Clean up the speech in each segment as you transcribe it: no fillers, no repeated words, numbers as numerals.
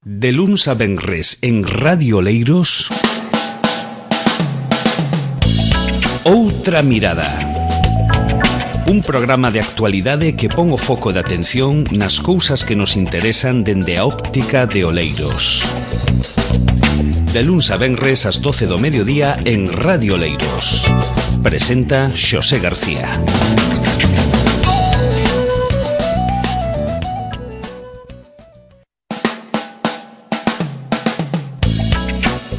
De luns a venres en Radio Oleiros, Outra Mirada. Un programa de actualidade que pon o foco de atención nas cousas que nos interesan dende a óptica de Oleiros. De luns a venres ás 12 do mediodía en Radio Oleiros. Presenta Xosé García.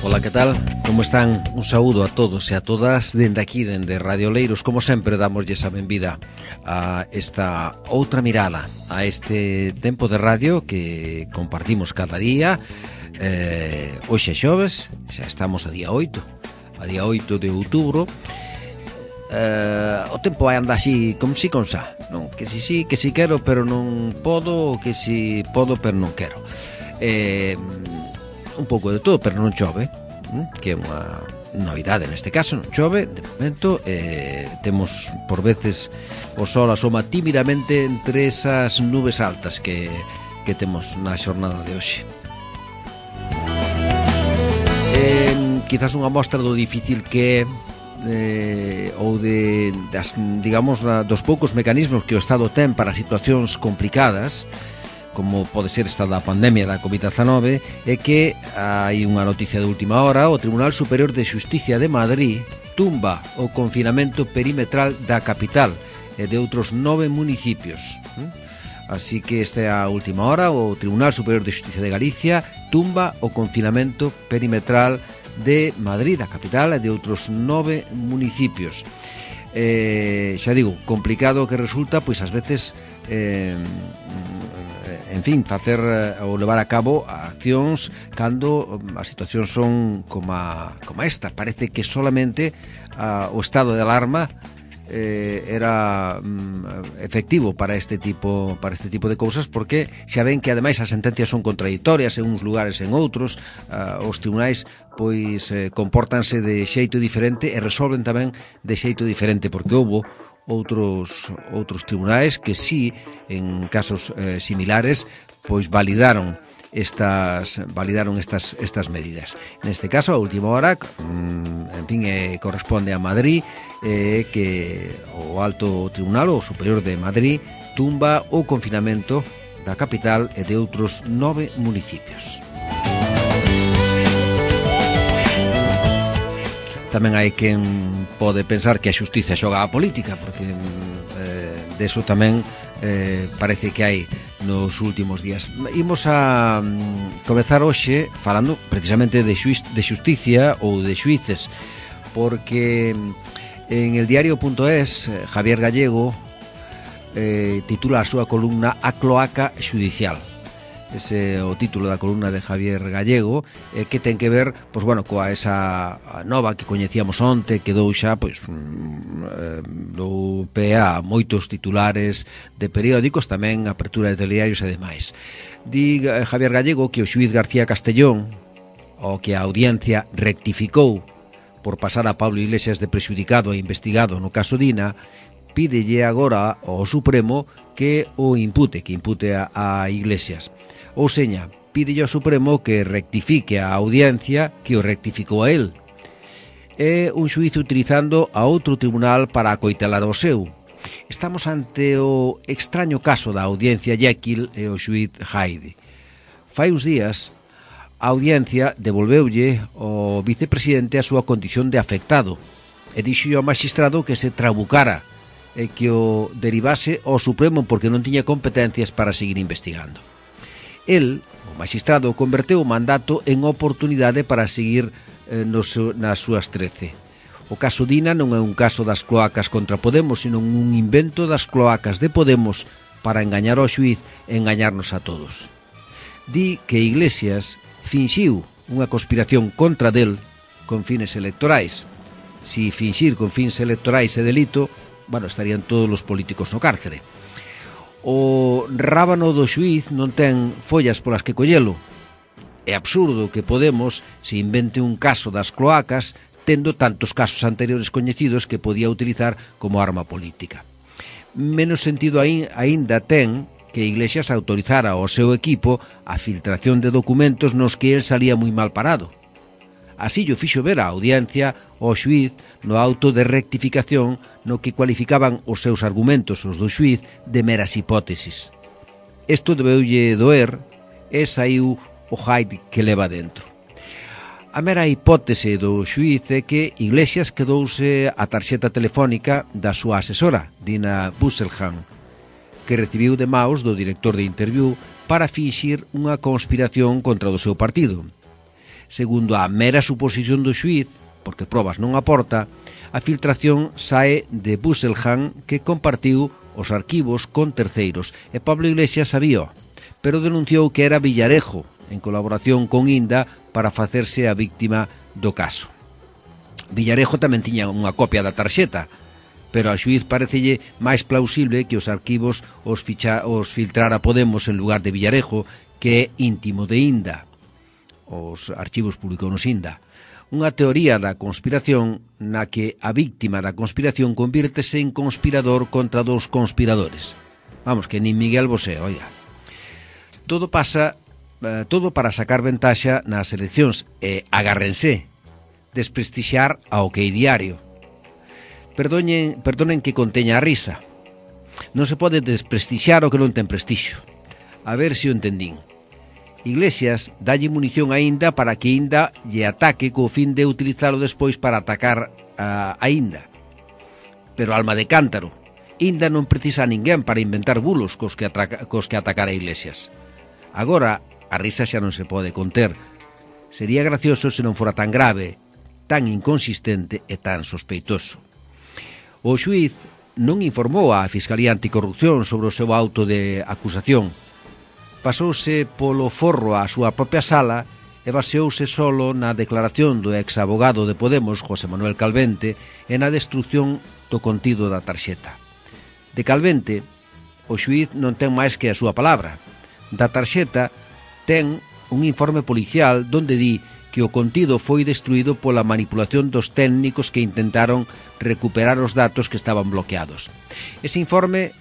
Ola, que tal? Como están? Un saúdo a todos e a todas dende aquí, dende Radio Oleiros. Como sempre, damoslle a benvida a esta outra mirada, a este tempo de radio que compartimos cada día. Hoxe é xoves, xa estamos a día 8 de outubro. O tempo vai andar así, como si con xa, non? Que si sí, que si quero, pero non podo, que si podo, pero non quero. Un pouco de todo, pero non chove, que é unha novidade neste caso. Non chove de momento, temos por veces o sol asoma tímidamente entre esas nubes altas que temos na xornada de hoxe. Quizás unha mostra do difícil que ou digamos, dos poucos mecanismos que o Estado ten para situacións complicadas, como pode ser esta da pandemia da COVID-19, é que hai unha noticia de última hora. O Tribunal Superior de Xusticia de Madrid tumba o confinamento perimetral da capital e de outros 9 municipios. Así que esta é a última hora. O Tribunal Superior de Xusticia de Galicia tumba o confinamento perimetral de Madrid, da capital, e de outros 9 municipios. Xa digo, complicado que resulta, pois ás veces en fin, facer ou levar a cabo accións cando as situacións son como esta. Parece que solamente o estado de alarma era efectivo para este tipo de cousas, porque xa ven que ademais as sentencias son contradictorias en uns lugares e en outros. Os tribunais pois compórtanse de xeito diferente e resolven tamén de xeito diferente, porque houbo outros tribunais que sí, en casos similares, pois validaron estas medidas. Neste caso, a última hora, en fin, corresponde a Madrid, que o Alto Tribunal, o Superior de Madrid, tumba o confinamento da capital e de outros 9 municipios. Tamén hai quen pode pensar que a xustiza xoga a política, porque deso tamén parece que hai nos últimos días. Imos a comezar hoxe falando precisamente de xusticia ou de xuíces, porque en el diario.es Javier Gallego titula a súa columna A cloaca xudicial. Ese é o título da columna de Javier Gallego, que ten que ver, pois bueno, coa esa nova que coñecíamos onte, que dou xa, pois, dou pé a moitos titulares de periódicos, tamén apertura de telediarios e demais. Di Javier Gallego que o xuíz García Castellón, o que a audiencia rectificou por pasar a Pablo Iglesias de prexudicado e investigado no caso Dina, pídelle agora ao Supremo que o impute a Iglesias. Ou seña, pídelle ao Supremo que rectifique a audiencia que o rectificou a él. É un xuízo utilizando a outro tribunal para acoitelar o seu. Estamos ante o extraño caso da audiencia Jekyll e o xuíz Hyde. Fai uns días, a audiencia devolveulle ao vicepresidente a súa condición de afectado e dixo ao magistrado que se trabucara e que o derivase ao Supremo porque non tiña competencias para seguir investigando. El, o magistrado, converteu o mandato en oportunidade para seguir nas súas 13. O caso Dina non é un caso das cloacas contra Podemos, sino un invento das cloacas de Podemos para engañar ao xuíz e engañarnos a todos. Di que Iglesias finxiu unha conspiración contra del con fines electorais. Si finxir con fins electorais é delito, bueno, estarían todos os políticos no cárcere. O rábano do xuíz non ten follas polas que collelo. É absurdo que Podemos se invente un caso das cloacas tendo tantos casos anteriores coñecidos que podía utilizar como arma política. Menos sentido aínda ten que Iglesias autorizara ao seu equipo a filtración de documentos nos que el salía moi mal parado. Así llo fixo ver a audiencia ao xuíz no auto de rectificación no que cualificaban os seus argumentos, os do xuíz, de meras hipótesis. Isto debeulle doer e saiu o hide que leva dentro. A mera hipótese do xuíz é que Iglesias quedouse a tarxeta telefónica da súa asesora, Dina Busselham, que recibiu de maus do director de Interviú para finxir unha conspiración contra o seu partido. Segundo a mera suposición do xuíz, porque probas non aporta, a filtración sae de Busselham, que compartiu os arquivos con terceiros, e Pablo Iglesias sabía, pero denunciou que era Villarejo, en colaboración con Inda, para facerse a víctima do caso. Villarejo tamén tiña unha copia da tarxeta, pero a xuíz parecelle máis plausible que os arquivos os filtrara Podemos en lugar de Villarejo, que é íntimo de Inda. Os archivos publicounos Inda. Unha teoría da conspiración na que a víctima da conspiración convírtese en conspirador contra dos conspiradores. Vamos, que nin Miguel Bosé, oiga. Todo para sacar ventaxa nas eleccións e agárrense, desprestixiar ao que é diario. Perdonen que conteña a risa. Non se pode desprestixiar o que non ten prestixio. A ver se o entendín. Iglesias dalle munición a Inda para que Inda lle ataque co fin de utilizalo despois para atacar a Inda. Pero alma de cántaro, Inda non precisa a ninguén para inventar bulos cos que atacar a Iglesias. Agora, a risa xa non se pode conter. Sería gracioso se non fora tan grave, tan inconsistente e tan sospeitoso. O xuíz non informou a Fiscalía Anticorrupción sobre o seu auto de acusación. Pasouse polo forro á súa propia sala e baseouse solo na declaración do ex-abogado de Podemos, José Manuel Calvente, e na destrucción do contido da tarxeta. De Calvente, o xuíz non ten máis que a súa palabra. Da tarxeta ten un informe policial donde di que o contido foi destruído pola manipulación dos técnicos que intentaron recuperar os datos que estaban bloqueados. Ese informe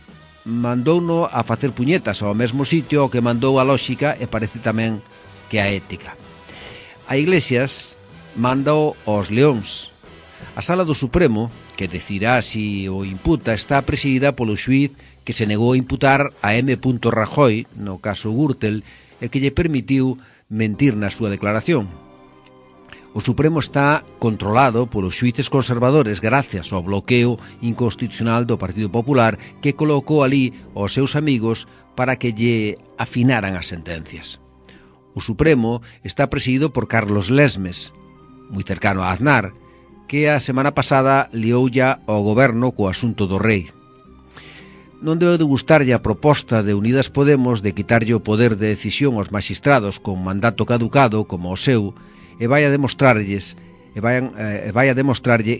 mandouno a facer puñetas ao mesmo sitio ao que mandou a lóxica e parece tamén que a ética. A Iglesias mandou aos leóns. A Sala do Supremo, que decidirá si o imputa, está presidida polo xuíz que se negou a imputar a M. Rajoy, no caso Gürtel, e que lle permitiu mentir na súa declaración. O Supremo está controlado polos xuíces conservadores gracias ao bloqueo inconstitucional do Partido Popular, que colocou ali aos seus amigos para que lle afinaran as sentencias. O Supremo está presidido por Carlos Lesmes, moi cercano a Aznar, que a semana pasada lioulla ao goberno co asunto do rei. Non debe de gustarlle a proposta de Unidas Podemos de quitarlle o poder de decisión aos magistrados con mandato caducado como o seu, e vai a demostrarlle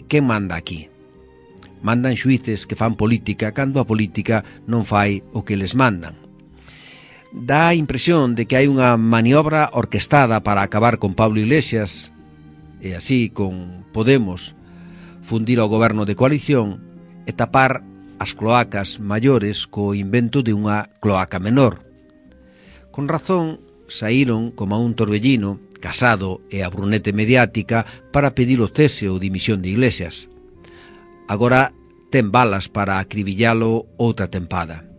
quen manda aquí. Mandan xuíces que fan política cando a política non fai o que les mandan. Dá a impresión de que hai unha maniobra orquestada para acabar con Pablo Iglesias e así con Podemos fundir ao goberno de coalición e tapar as cloacas maiores co invento de unha cloaca menor. Con razón saíron como a un torbellino Casado e a Brunete mediática para pedir o cese ou dimisión de Iglesias. Agora ten balas para acribillalo outra tempada.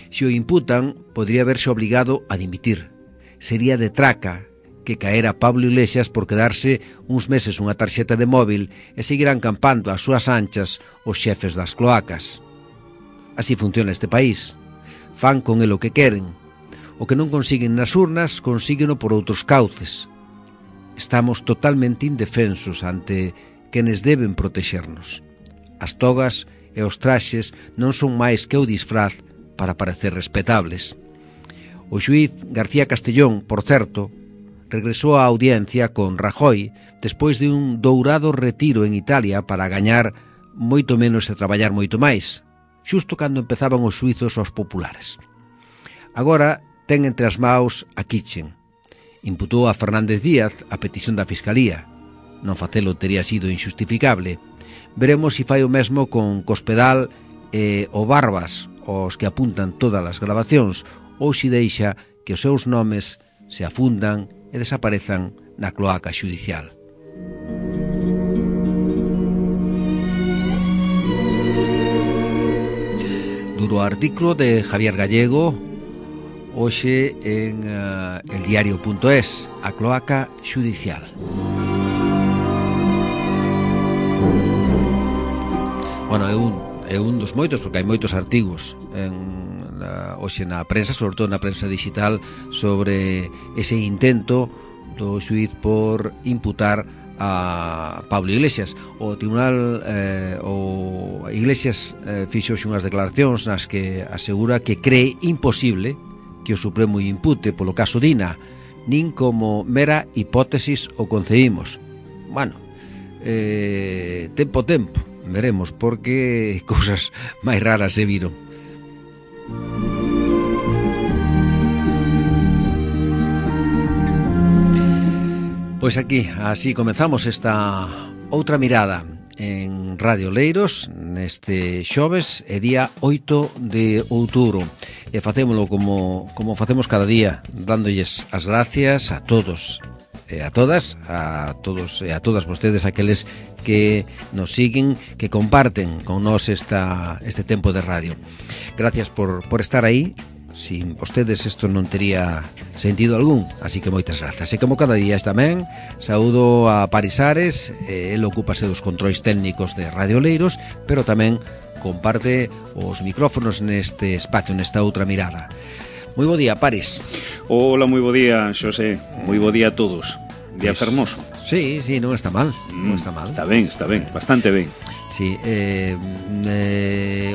Se o imputan, podría verse obligado a dimitir. Sería de traca que caera Pablo Iglesias por quedarse uns meses unha tarxeta de móvil e seguirán campando as súas anchas os xefes das cloacas. Así funciona este país. Fan con el o que queren. O que non consiguen nas urnas, consígueno por outros cauces. Estamos totalmente indefensos ante quenes deben protexernos. As togas e os traxes non son máis que o disfraz para parecer respetables. O xuíz García Castellón, por certo, regresou á audiencia con Rajoy despois de un dourado retiro en Italia para gañar moito menos e traballar moito máis, xusto cando empezaban os xuizos aos populares. Agora ten entre as maus a Kitchen. Imputou a Fernández Díaz a petición da Fiscalía. Non facelo tería sido injustificable. Veremos se fai o mesmo con Cospedal e o Barbas, aos que apuntan todas as grabacións, hoxe deixa que os seus nomes se afundan e desaparezan na cloaca xudicial. Duro artículo de Javier Gallego, hoxe en eldiario.es, a cloaca xudicial. Bueno, é un dos moitos, porque hai moitos artigos hoxe na prensa, sobre todo na prensa digital, sobre ese intento do xuíz por imputar a Pablo Iglesias. O Tribunal Iglesias fixo unhas declaracións nas que asegura que cree imposible que o Supremo impute polo caso Dina, nin como mera hipótesis o concebimos. Bueno, tempo, veremos, porque cousas máis raras se viron. Pois aquí, así comezamos esta outra mirada en Radio Leiros neste xoves e día 8 de outubro. E facémolo como facemos cada día, dándolles as gracias a todos e a todas, a todos e a todas vostedes, aqueles que nos siguen, que comparten con nós este tempo de radio. Gracias por estar aí. Sin vostedes isto non tería sentido algún, así que moitas grazas. E como cada día tamén, saúdo a Paris Ares, el ocúpase dos controis técnicos de Radio Leiros, pero tamén comparte os micrófonos neste espacio, nesta outra mirada. Moi bo día, Paris. Hola, moi bo día, Xosé. Moi bo día a todos. Día fermoso. Sí, non está mal. Non está mal. Está ben, bastante ben. Sí,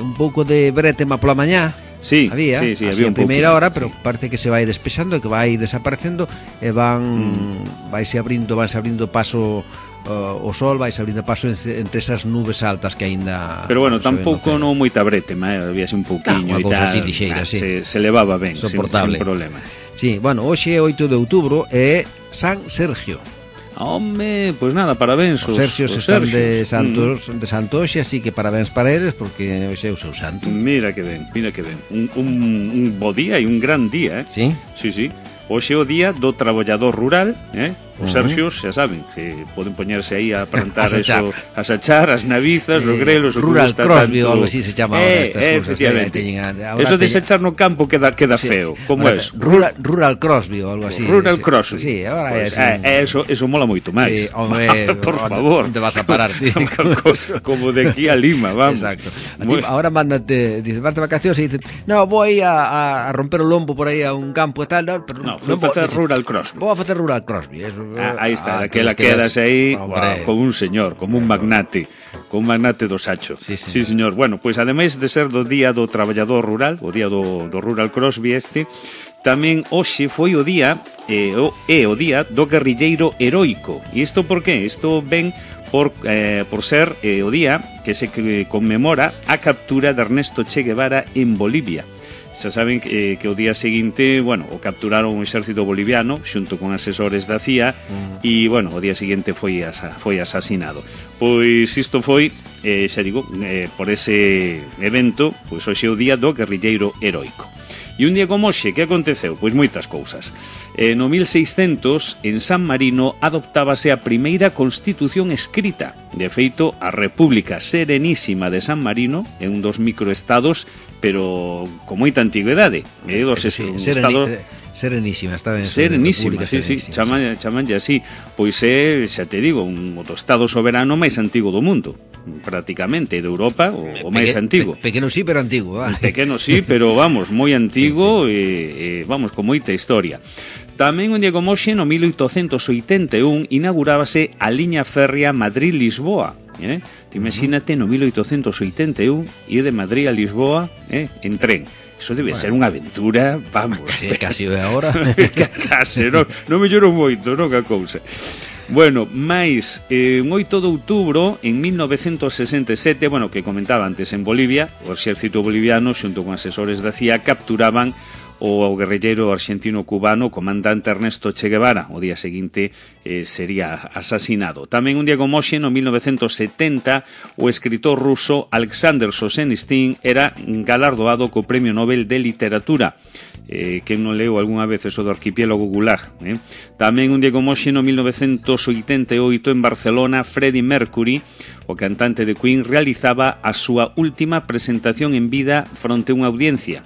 un pouco de bretema pola mañá. Sí, había un primeira pouco, hora, pero sí. parece que se vai despexando, que vai desaparecendo e vanse abrindo paso o sol, vai abrindo paso entre esas nubes altas que aínda. Pero bueno, tampouco non moita bretema, habíase un pouquiño e tal. Así lixeira, sí. Se levaba ben, soportable. sin problema. Sí, bueno, hoxe é 8 de outubro e San Sergio. Home, pois nada, parabéns. Os Sergios están de santo hoxe, así que parabéns para eles, porque hoxe é o seu santo. Mira que ben. Un bo día e un gran día, eh? Sí? Sí. Hoxe é o día do traballador rural, eh? Os Sergios, xa saben, que poden poñerse aí a plantar eso, a sachar as navizas, os grelos, Rural Crosby ou algo así se chama ahora estas cousas. Eso de sachar no campo queda feo. Como é eso? Rural Crosby ou algo así. Rural Crosby. Sí, agora é así. Eso mola moito máis. Sí, home, por favor. Onde vas a parar, ti? Como de aquí a Lima, vamos. Exacto. Ahora mándate, dice, vas de vacacións e dice, no, vou a romper o lombo por aí a un campo e tal, pero no, vou facer Rural Crosby. Vou a facer Rural Crosby, eso. Aí está, daquela quedas aí como un señor, como un magnate do sacho. Sí, señor. Bueno, pois ademais de ser do día do traballador rural, o día do Rural Crosby tamén hoxe foi o día o día do guerrilleiro heroico. E isto por qué? Isto ven por ser o día que se conmemora a captura de Ernesto Che Guevara en Bolivia. Xa saben que o día seguinte, bueno, o capturaron o exército boliviano xunto con asesores da CIA e, bueno, o día seguinte foi asasinado. Pois isto foi, xa digo, por ese evento, pois hoxe é o día do guerrilleiro heroico. E un día como hoxe, que aconteceu? Pois moitas cousas. No 1600, en San Marino, adoptábase a primeira constitución escrita. De feito, a República Serenísima de San Marino é un dos microestados, pero con moita antigüedade. Serenísima, está ben. Serenísima, sí, chamanlle así. Pois é, xa te digo, o estado soberano máis antigo do mundo, prácticamente, de Europa, o máis antigo. Pequeno sí, pero antigo. Pequeno sí, pero vamos, moi antigo, sí. Vamos, con moita historia. Tamén un día como hoxe, no 1881, inaugurábase a liña férrea Madrid-Lisboa. Imagínate, no 1881, ir de Madrid a Lisboa en tren. Eso debe ser unha aventura, vamos. Sí, casi é agora. Casi, non me lloro moito, non a cousa. Bueno, máis, un 8 de outubro, en 1967, bueno, que comentaba antes, en Bolivia, o exército boliviano, xunto con asesores da CIA, capturaban o ao guerrilleiro argentino-cubano comandante Ernesto Che Guevara. O día seguinte sería asasinado. Tamén un día como hoxe, no 1970, o escritor ruso Alexander Solzhenitsyn era galardoado co Premio Nobel de Literatura. Que non leu algunha vez eso do arquipiélago Gulag. Tamén un día como hoxe, no 1988, en Barcelona, Freddie Mercury, o cantante de Queen, realizaba a súa última presentación en vida fronte a unha audiencia.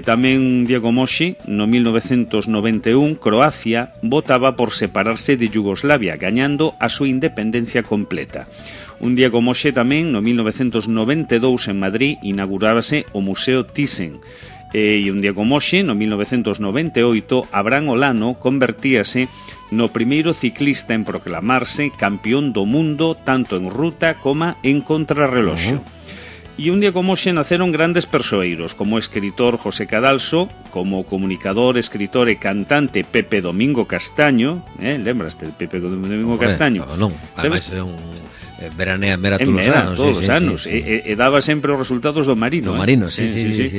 Tamén un día como hoxe, no 1991, Croacia votaba por separarse de Yugoslavia, gañando a súa independencia completa. Un día como hoxe tamén, no 1992, en Madrid, inaugurábase o Museo Thyssen. E un día como hoxe, no 1998, Abraham Olano convertíase no primeiro ciclista en proclamarse campeón do mundo tanto en ruta como en contrarreloxo. E un día como hoxe naceron grandes persoeiros, como o escritor José Cadalso, como o comunicador, escritor e cantante Pepe Domingo Castaño. Lembraste de Pepe Domingo Castaño? Non, ademais é un veranea mera todos os anos. E daba sempre os resultados do Marino. Do Marino, sí,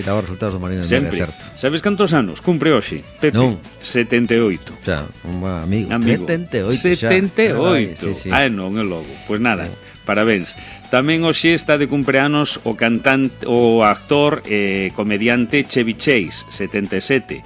daba os resultados do Marino. Sempre. Sabes cantos anos cumpre hoxe, Pepe? Non. 78. Xa, un amigo. 78. Non, é logo. Pois nada, parabéns. Tamén hoxe está de cumpleanos o cantante, o actor e comediante Chevy Chase, 77.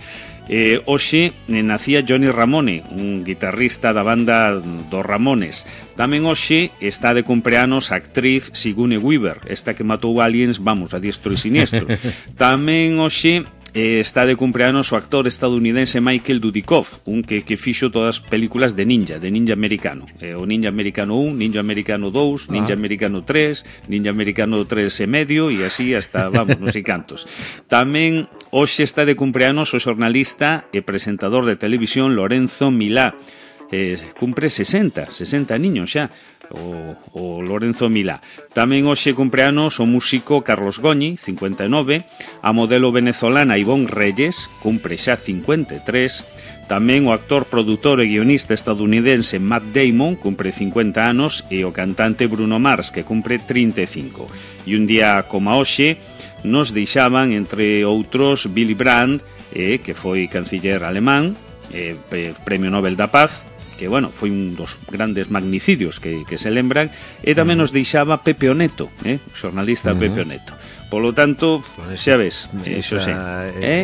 Hoxe nacía Johnny Ramone, un guitarrista da banda dos Ramones. Tamén hoxe está de cumpleanos a actriz Sigourney Weaver, esta que matou aliens, vamos, a diestro e siniestro. Tamén hoxe está de cumpleanos o actor estadounidense Michael Dudikoff, un que fixo todas as películas de ninja americano. O Ninja Americano 1, Ninja Americano 2, Ninja Americano 3, Ninja Americano 3 e medio, e así hasta, vamos, non sei cantos. Tamén hoxe está de cumpleanos o xornalista e presentador de televisión Lorenzo Milá. Cumpre 60 niños xa, o Lorenzo Milá. Tamén hoxe cumpleanos o músico Carlos Goñi, 59, a modelo venezolana Ivonne Reyes, cumpre xa 53, tamén o actor, produtor e guionista estadounidense Matt Damon, cumpre 50 anos, e o cantante Bruno Mars, que cumpre 35. E un día como hoxe nos deixaban, entre outros, Willy Brandt, que foi canciller alemán, Premio Nobel da Paz, que, bueno, foi un dos grandes magnicidios que se lembran, e tamén nos deixaba Pepe Oneto, xornalista Pepe Oneto. Polo tanto, xa ves, eso sí.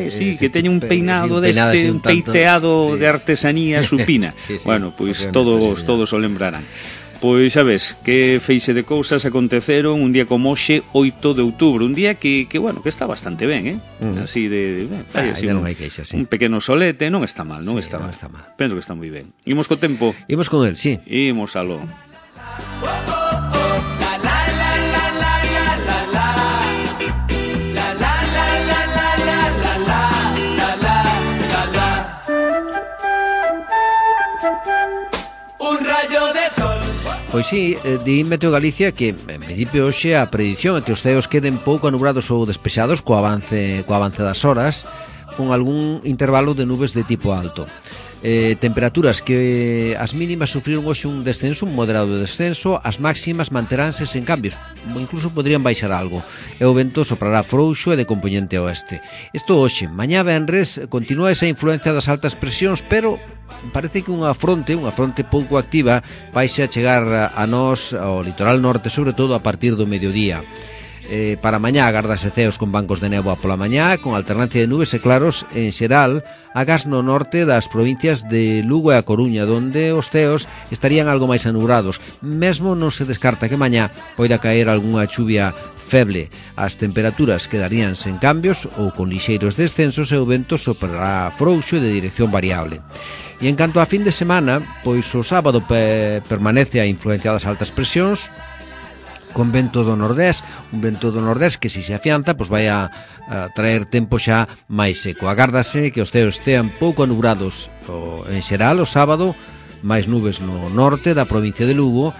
Sí, que teña un peinado deste, un peiteado de artesanía supina. Bueno, pois todos o lembrarán. Pois xa ves, que feixe de cousas aconteceron un día como hoxe, 8 de outubro, un día que bueno, que está bastante ben, así de así non hai queixa, un pequeno solete, non está mal, non está mal. Penso que está moi ben. Imos co tempo. Imos con el, sí. Imos aló. Pois sí, di Meteo Galicia que en principio hoxe a predición é que os ceos queden pouco anubrados ou despexados co avance das horas, con algún intervalo de nubes de tipo alto. Temperaturas que as mínimas sufriron hoxe un descenso, un moderado descenso, as máximas manteránse sen cambios, incluso podrían baixar algo, e o vento soprará frouxo e de compoñente oeste. Isto hoxe, mañá venres, continúa esa influencia das altas presións, pero parece que unha fronte pouco activa vaixe a chegar a nós, ao litoral norte, sobre todo a partir do mediodía. Para mañá agárdase ceos con bancos de néboa pola mañá, con alternancia de nubes e claros en xeral, agás no norte das provincias de Lugo e a Coruña, donde os ceos estarían algo máis anubrados. Mesmo non se descarta que mañá poida caer algunha chuvia feble. As temperaturas quedarían sen cambios ou con lixeiros descensos e o vento soprará frouxo e de dirección variable. E en canto a fin de semana, pois o sábado permanece a influencia das altas presións, con vento do nordés, un vento do nordés que se afianza, pois vai a traer tempo xa máis seco. Agárdase que os ceos estean pouco anubrados en xeral o sábado, máis nubes no norte da provincia de Lugo,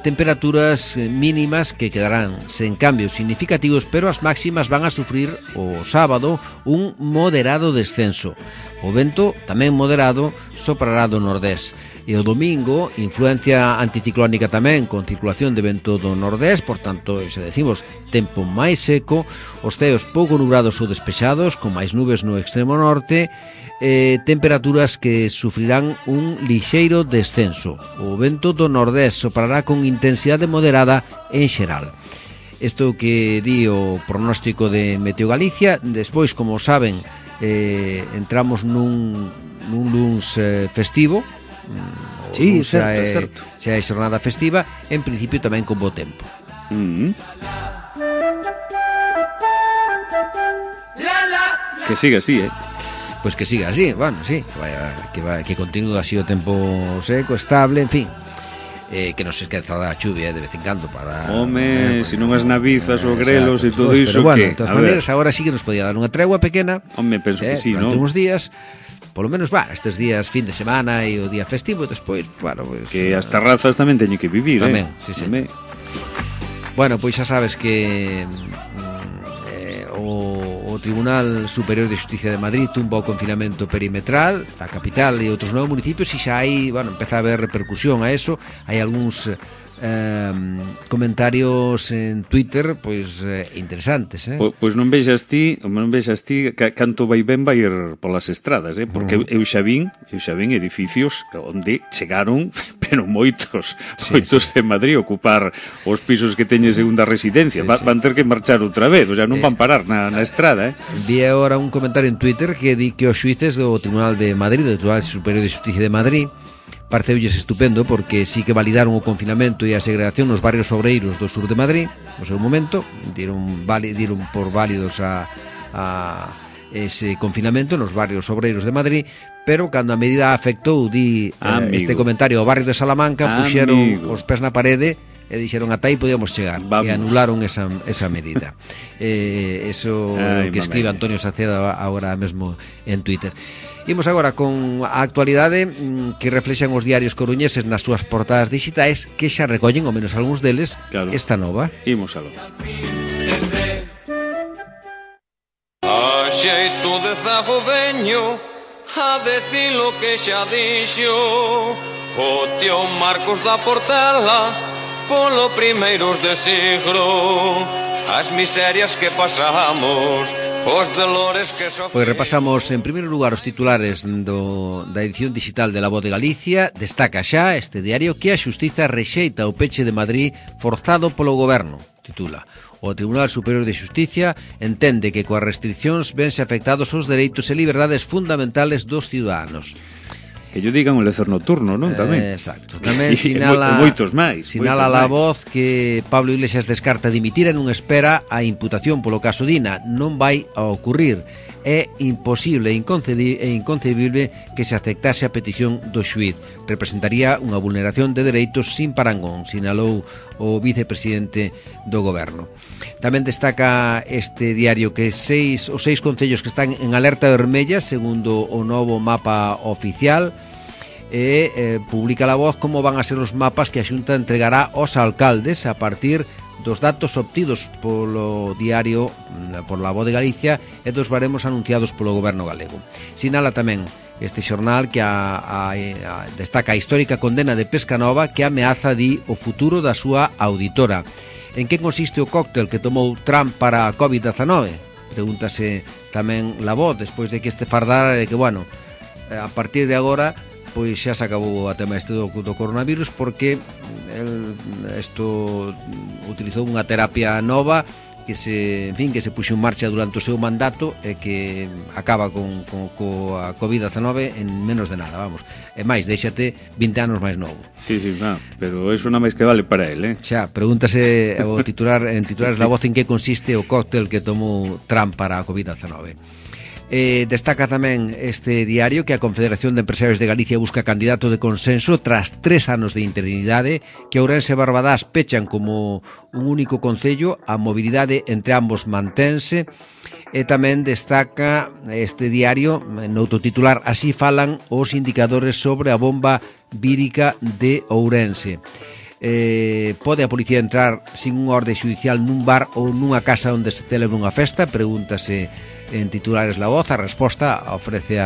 temperaturas mínimas que quedarán sen cambios significativos, pero as máximas van a sufrir o sábado un moderado descenso. O vento, tamén moderado, soprará do nordés. E o domingo, influencia anticiclónica tamén, con circulación de vento do nordés, por tanto, se decimos, tempo máis seco, os ceos pouco nublados ou despexados, con máis nubes no extremo norte, temperaturas que sufrirán un lixeiro descenso. O vento do nordés soprará con intensidade moderada en xeral. Isto que di o pronóstico de Meteo Galicia. Despois, como saben, entramos nun luns festivo. Sí, certo. Xa é xornada festiva, en principio tamén con bo tempo. Que siga así, Pois que siga así, bueno, sí, que continúe así o tempo seco, estable, en fin. Que non se esqueza da chuvia de vez en cando para... Home, se non as navizas ou grelos e todo iso, pero bueno, de todas maneiras, agora sí que nos podía dar unha tregua pequena. Home, penso que sí, non? Durante uns días, polo menos, estes días fin de semana e o día festivo, despois, pues, que as terrazas tamén teñen que vivir, tamén, sí. Bueno, pois xa sabes que o Tribunal Superior de Xusticia de Madrid tumba o confinamento perimetral da capital e outros 9 municipios e xa hai, empeza a haber repercusión a eso. Hai algúns comentarios en Twitter interesantes, Pois non vexas ti canto vai ben vai ir polas estradas, porque eu xa vin edificios onde chegaron pero moitos de Madrid ocupar os pisos que teñen segunda residencia. Van ter que marchar outra vez, o sea, non van parar na estrada, Vi agora un comentario en Twitter que di que os xuíces do Tribunal de Madrid, do Tribunal Superior de Xusticia de Madrid, pareceulles estupendo porque sí que validaron o confinamento e a segregación nos barrios obreiros do sur de Madrid no seu momento, dieron por válidos a ese confinamento nos barrios obreiros de Madrid, pero cando a medida afectou, este comentario, o barrio de Salamanca, puxeron os pés na parede e dixeron ata aí podíamos chegar. Vamos. E anularon esa medida. Eso que escribe Antonio Saceda agora mesmo en Twitter. Imos agora con a actualidade que reflexan os diarios coruñeses nas súas portadas digitais, que xa recollen, ao menos algúns deles, esta nova. Imos aló. A xeito de zago veño a decir lo que xa dixo o tío Marcos da Portela polo primeiros de siglo, as miserias que pasamos, os dolores que sofremos. Pois repasamos en primeiro lugar os titulares da edición digital de La Voz de Galicia. Destaca xa este diario que a Xustiza rexeita o peche de Madrid forzado polo goberno. Titula: o Tribunal Superior de Xusticia entende que coas restriccións vense afectados os dereitos e liberdades fundamentales dos ciudadanos. Que yo digan o lecer nocturno, non? Tamén. Exacto. Tamén sinala moitos máis. Sinala La Voz que Pablo Iglesias descarta dimitir e non espera a imputación polo caso Dina. Non vai a ocurrir. É imposible e inconcebible que se aceptase a petición do xuíz. Representaría unha vulneración de dereitos sin parangón, sinalou o vicepresidente do goberno. Tamén destaca este diario que os seis concellos que están en alerta vermella segundo o novo mapa oficial publica La Voz como van a ser os mapas que a Xunta entregará aos alcaldes a partir dos datos obtidos polo diario por La Voz de Galicia e dos baremos anunciados polo goberno galego. Sinala tamén este xornal que destaca a histórica condena de Pescanova que ameaza o futuro da súa auditora. En que consiste o cóctel que tomou Trump para a COVID-19? Pregúntase tamén La Voz, despois de que este fardara de que, a partir de agora, pois xa se acabou a tema do coronavirus porque isto utilizou unha terapia nova que se puxo en marcha durante o seu mandato e que acaba coa COVID-19 en menos de nada, E máis, déxate 20 anos máis novo. Sí, pero eso non máis que vale para él, Xa, pregúntase en titulares La Voz en que consiste o cóctel que tomou Trump para a COVID-19. Destaca tamén este diario que a Confederación de Empresarios de Galicia busca candidato de consenso tras 3 anos de interinidade, que Ourense e Barbadás pechan como un único concello, a mobilidade entre ambos mantense. E tamén destaca este diario noutro titular: así falan os indicadores sobre a bomba vírica de Ourense. Pode a policía entrar sin unha orde xudicial nun bar ou nunha casa onde se celebre unha festa? Pregúntase en titulares La Voz. A resposta ofrece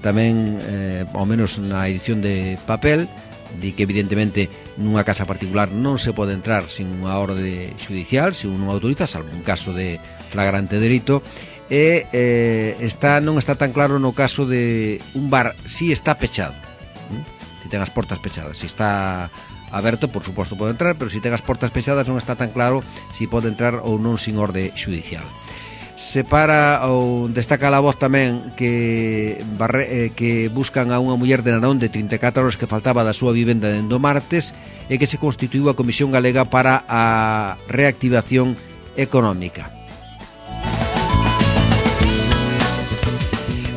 tamén, ao menos na edición de papel, di que evidentemente nunha casa particular non se pode entrar sin unha orde xudicial, sin non autoriza, salvo un caso de flagrante delito. E non está tan claro no caso de un bar, si está pechado, si ten as portas pechadas. Si está aberto, por suposto pode entrar, pero si ten as portas pechadas non está tan claro si pode entrar ou non sin orde xudicial. Separa ou destaca La Voz tamén que buscan a unha muller de Narón de 34 anos que faltaba da súa vivenda dende o martes e que se constituiu a Comisión Galega para a Reactivación Económica.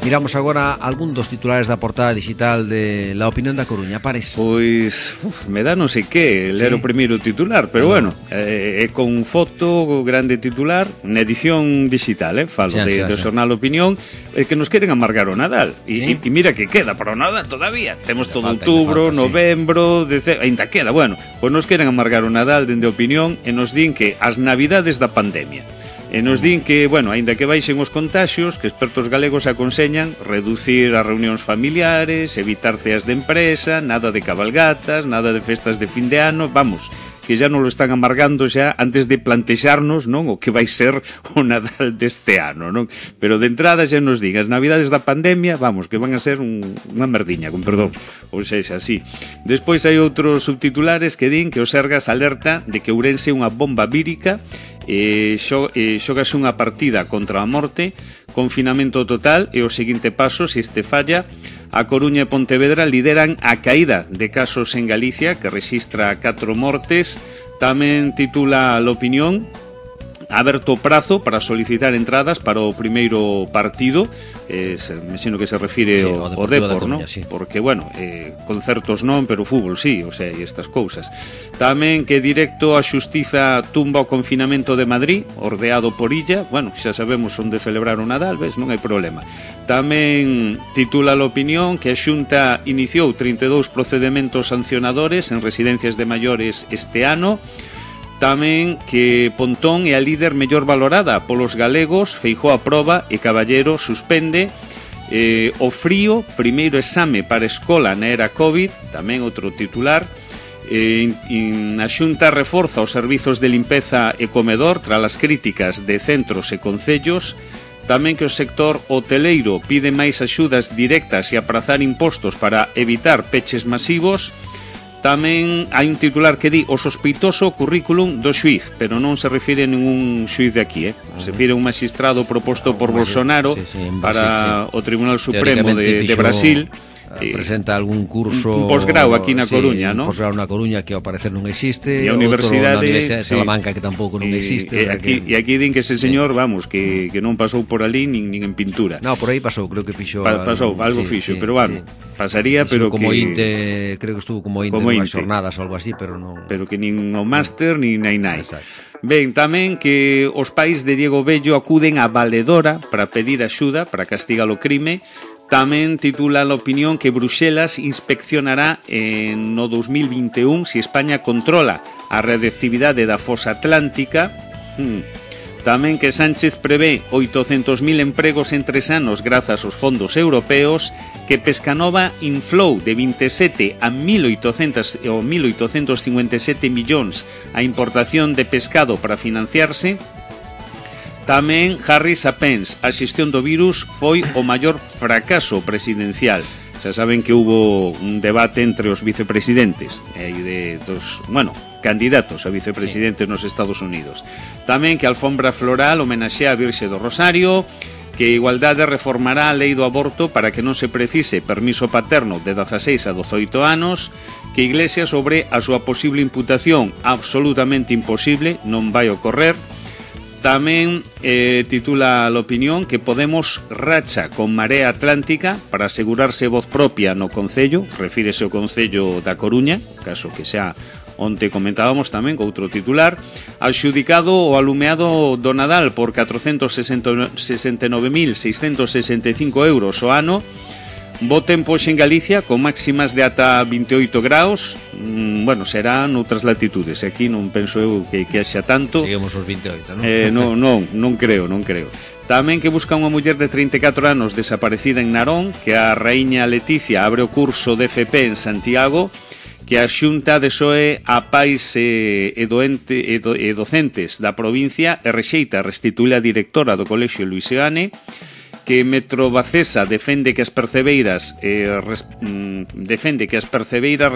Miramos agora algún dos titulares da portada digital de La Opinión da Coruña. Pares. Pois, me dá non sei que ler o primeiro titular, pero bueno, é con foto, grande titular, na edición digital, falo do xornal Opinión, que nos queren amargar o Nadal. E mira que queda para o Nadal todavía. Temos todo outubro, novembro, ainda queda, bueno, pois nos queren amargar o Nadal dende Opinión e nos din que as navidades da pandemia. E nos din que, bueno, aínda que baixen os contaxios, que expertos galegos aconseñan reducir as reunións familiares, evitar ceas de empresa, nada de cabalgatas, nada de festas de fin de ano, vamos, que xa non lo están amargando xa antes de plantexarnos, non, o que vai ser o Nadal deste ano, non? Pero de entrada xa nos din, as navidades da pandemia, vamos, que van a ser unha merdiña, con perdón, ou sexa, así. Despois hai outros subtitulares que din que o Sergas alerta de que Ourense é unha bomba vírica xogase unha partida contra a morte, confinamento total e o seguinte paso, se este falla, a Coruña e Pontevedra lideran a caída de casos en Galicia, que rexistra 4 mortes. Tamén titula l'Opinión, aberto o prazo para solicitar entradas para o primeiro partido, imagino que se refire ao Depor, non? Porque, bueno, concertos non, pero fútbol sí, o sea, e estas cousas. Tamén que directo a Xustiza tumba o confinamento de Madrid, ordeado por Illa, bueno, xa sabemos onde celebrar o Nadal, ves, non hai problema. Tamén titula l'Opinión que a Xunta iniciou 32 procedementos sancionadores en residencias de maiores este ano. Tamén que Pontón é a líder mellor valorada polos galegos, Feijóo aproba e Caballero suspende. O frío, primeiro exame para escola na era COVID, tamén outro titular. A Xunta reforza os servizos de limpeza e comedor tras as críticas de centros e concellos. Tamén que o sector hoteleiro pide máis axudas directas e aprazar impostos para evitar peches masivos. Tamén hai un titular que di o sospeitoso currículum do xuiz, pero non se refire a ningún xuiz de aquí, Se refire a un magistrado proposto por Bolsonaro para o Tribunal Supremo de Brasil. Presenta algún curso, un posgrau aquí na Coruña, non? Un posgrau na Coruña que ao parecer non existe, e a Universidade de Salamanca que tampouco non existe. E aquí din que ese señor, vamos, que non pasou por ali nin en pintura. No, por aí pasou, creo que fixo pasou, algo fixo, pero bueno, pasaría, pero como que inte, creo que estuvo como inte unhas jornadas ou algo así, pero non. Pero que nin o máster nin nai. Ben, tamén que os pais de Diego Bello acuden a valedora para pedir axuda para castigar o crime. Tamén titula l'Opinión que Bruxelas inspeccionará no 2021 se España controla a radioactividade da fosa atlántica. Tamén que Sánchez prevé 800.000 empregos en 3 anos grazas aos fondos europeos, que Pescanova inflou de 27 a 1.857 millóns a importación de pescado para financiarse. Tamén Harris a Pence, a xestión do virus foi o maior fracaso presidencial. Xa saben que hubo un debate entre os vicepresidentes e dos, candidatos a vicepresidentes nos Estados Unidos. Tamén que a alfombra floral homenaxea a Virxe do Rosario, que Igualdade reformará a lei do aborto para que non se precise permiso paterno de 16 a 18 anos, que Iglesias sobre a súa posible imputación absolutamente imposible, non vai ocorrer. Tamén titula l'Opinión que Podemos racha con Marea Atlántica para asegurarse voz propia no Concello, refírese ao Concello da Coruña, caso que xa onte comentábamos tamén con outro titular. Adxudicado o alumeado do Nadal por 469.665 euros o ano. bo tempo en Galicia, con máximas de ata 28 graus. Bueno, será noutras latitudes. Aquí non penso eu que haxa tanto. Seguimos os 28, non? Non creo. Tamén que busca unha muller de 34 anos desaparecida en Narón, que a raíña Leticia abre o curso de FP en Santiago, que a Xunta desoe a pais e docentes da provincia e rexeita restituir a directora do Colexio Luis Seoane, que Metro Bacesa defende que as percebeiras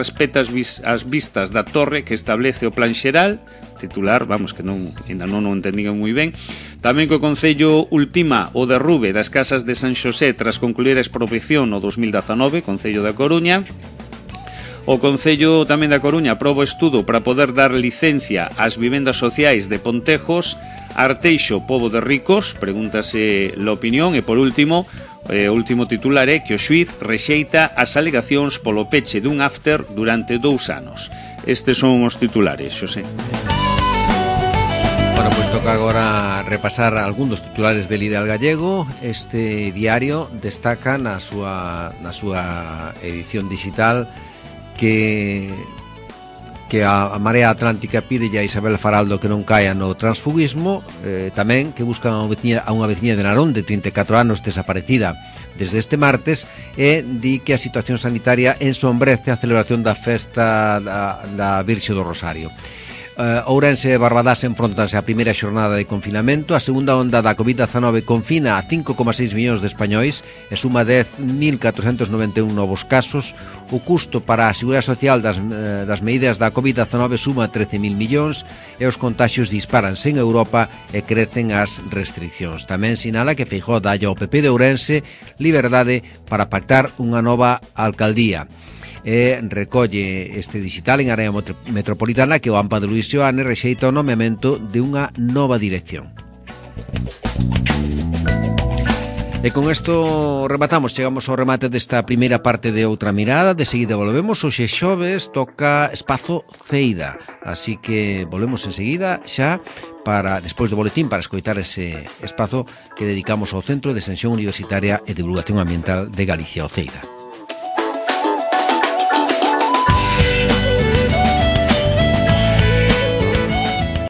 respeta as vistas da torre que establece o plan xeral, titular, vamos, que ainda non o entendían moi ben. Tamén que o Concello ultima o derrube das casas de San Xosé tras concluir a expropiación no 2019, Concello da Coruña. O Concello tamén da Coruña aproba o estudo para poder dar licencia ás vivendas sociais de Pontejos. Arteixo, pobo de ricos, pregúntase a opinión. E por último, o último titular é que o xuíz rexeita as alegacións polo peche dun after durante 2 anos. Estes son os titulares, Xosé. Bueno, pois toca agora repasar algún dos titulares del Ideal Gallego. Este diario destaca na súa edición digital que a Marea Atlántica pide a Isabel Faraldo que non caia no transfugismo, tamén que buscan a unha veciña de Narón de 34 anos desaparecida desde este martes, e di que a situación sanitaria ensombrece a celebración da festa da Virxe do Rosario. Ourense e Barbadás enfrontanse a primeira xornada de confinamento. A segunda onda da COVID-19 confina a 5,6 millóns de españois e suma 10.491 novos casos. O custo para a Seguridade Social das medidas da COVID-19 suma 13.000 millóns e os contaxios disparanse en Europa e crecen as restriccións. Tamén sinala que Feijóo dalle ao PP de Ourense liberdade para pactar unha nova alcaldía. E recolle este digital en área metropolitana que o AMPA de Luis Seoane rexeita o nomeamento de unha nova dirección. E con isto chegamos ao remate desta primeira parte de Outra Mirada. De seguida volvemos. Hoxe xoves toca Espazo Ceida, así que volvemos enseguida xa para despois do boletín para escoitar ese espazo que dedicamos ao Centro de Extensión Universitaria e Divulgación Ambiental de Galicia, o Ceida.